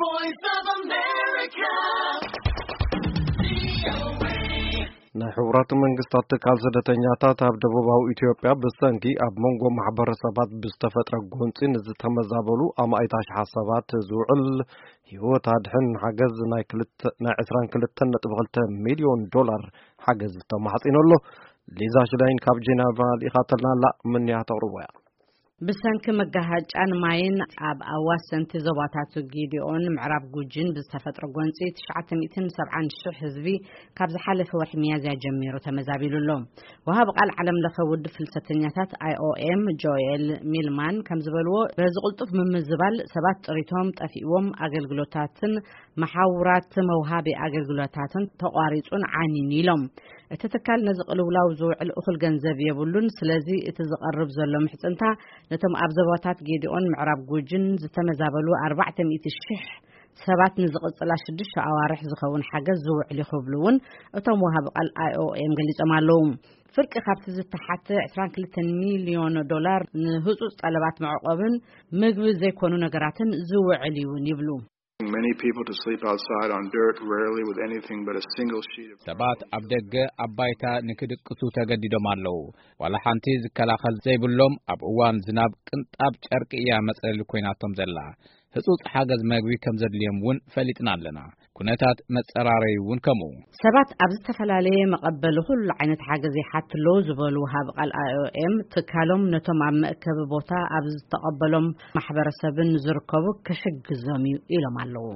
Voice of America. ናይ ሕቡራት መንግስታት ትካል ስደተኛታት ኣብ ደቡባዊ ኢትዮጵያ ብሰንኪ ኣብ መንጎ ማሕበረሰባት ብዝተፈጥረ ጎንፂ ንዝተመዛበሉ ኣማኢት ኣሽሓት ሰባት ዝውዕል ህይወት ኣድሕን ሓገዝ ናይ ክልተ- ናይ ዕስራን ክልተን ነጥቢ ክልተ ሚልዮን ዶላር ሓገዝ ተማሕፂኑ ኣሎ። ሊዛ ሽላይን ካብ ጄኔቫ ልኢኻተልና ኣላ። ምንያ ተቕርቦ እያ። ብሰንኪ መጋሃጫን ማይን ኣብ ኣዋሰንቲ ዞባታት ጌዲኦን ምዕራብ ጉጂን ብዝተፈጥረ ጎንፂ ትሽዓተ ሚእትን ሰብዓን ሽሕ ህዝቢ ካብ ዝሓለፈ ወርሒ ሚያዝያ ጀሚሩ ተመዛቢሉ ኣሎ። ወሃቢ ቃል ዓለም ለኸ ውድብ ፍልሰተኛታት ኣይኦኤም ጆኤል ሚልማን ከም ዝበልዎ፣ በዚ ቅልጡፍ ምምዝባል ሰባት ጥሪቶም ጠፊእዎም፣ ኣገልግሎታትን መሓውራት መውሃቢ ኣገልግሎታትን ተቋሪጹን ዓኒን ኢሎም። እቲ ትካል ነዚ ቅልውላው ዝውዕል እኹል ገንዘብ የብሉን። ስለዚ እቲ ዝቐርብ ዘሎ ምሕጽንታ ነቶም ኣብ ዞባታት ጌዲኦን ምዕራብ ጉጅን ዝተመዛበሉ ኣርባዕተ ሚእቲ ሽሕ ሰባት ንዝቕጽላ ሽዱሽተ ኣዋርሕ ዝኸውን ሓገዝ ዝውዕል እዩ ክብሉ እውን እቶም ወሃቢ ቃል ኣይኦኤም ገሊጾም ኣለዉ። ፍርቂ ካብቲ ዝተሓተ ዕስራን ክልተን ሚልዮን ዶላር ንህጹጽ ጠለባት መዕቆብን ምግቢ ዘይኮኑ ነገራትን ዝውዕል እዩ እውን ይብሉ። Many people to sleep outside on dirt, rarely with anything but a single sheet of ሰባት ኣብ ደገ ኣብ ባይታ ንክድቅሱ ተገዲዶም ኣለዉ። ዋላ ሓንቲ ዝከላኸል ዘይብሎም፣ ኣብ እዋን ዝናብ ቅንጣብ ጨርቂ እያ መጽለሊ ኮይናቶም ዘላ። ህጹጽ ሓገዝ መግቢ ከም ዘድልዮም እውን ፈሊጥና ኣለና። ኩነታት መጸራረይ እውን ከምኡ። ሰባት ኣብ ዝተፈላለየ መቐበሊ ኩሉ ዓይነት ሓገዝ ይሓቱ ኣለዉ ዝበሉ ወሃቢ ቃል ኣይኦኤም፣ ትካሎም ነቶም ኣብ መእከቢ ቦታ ኣብ ዝተቐበሎም ማሕበረሰብን ዝርከቡ ክሕግዞም እዩ ኢሎም ኣለዉ።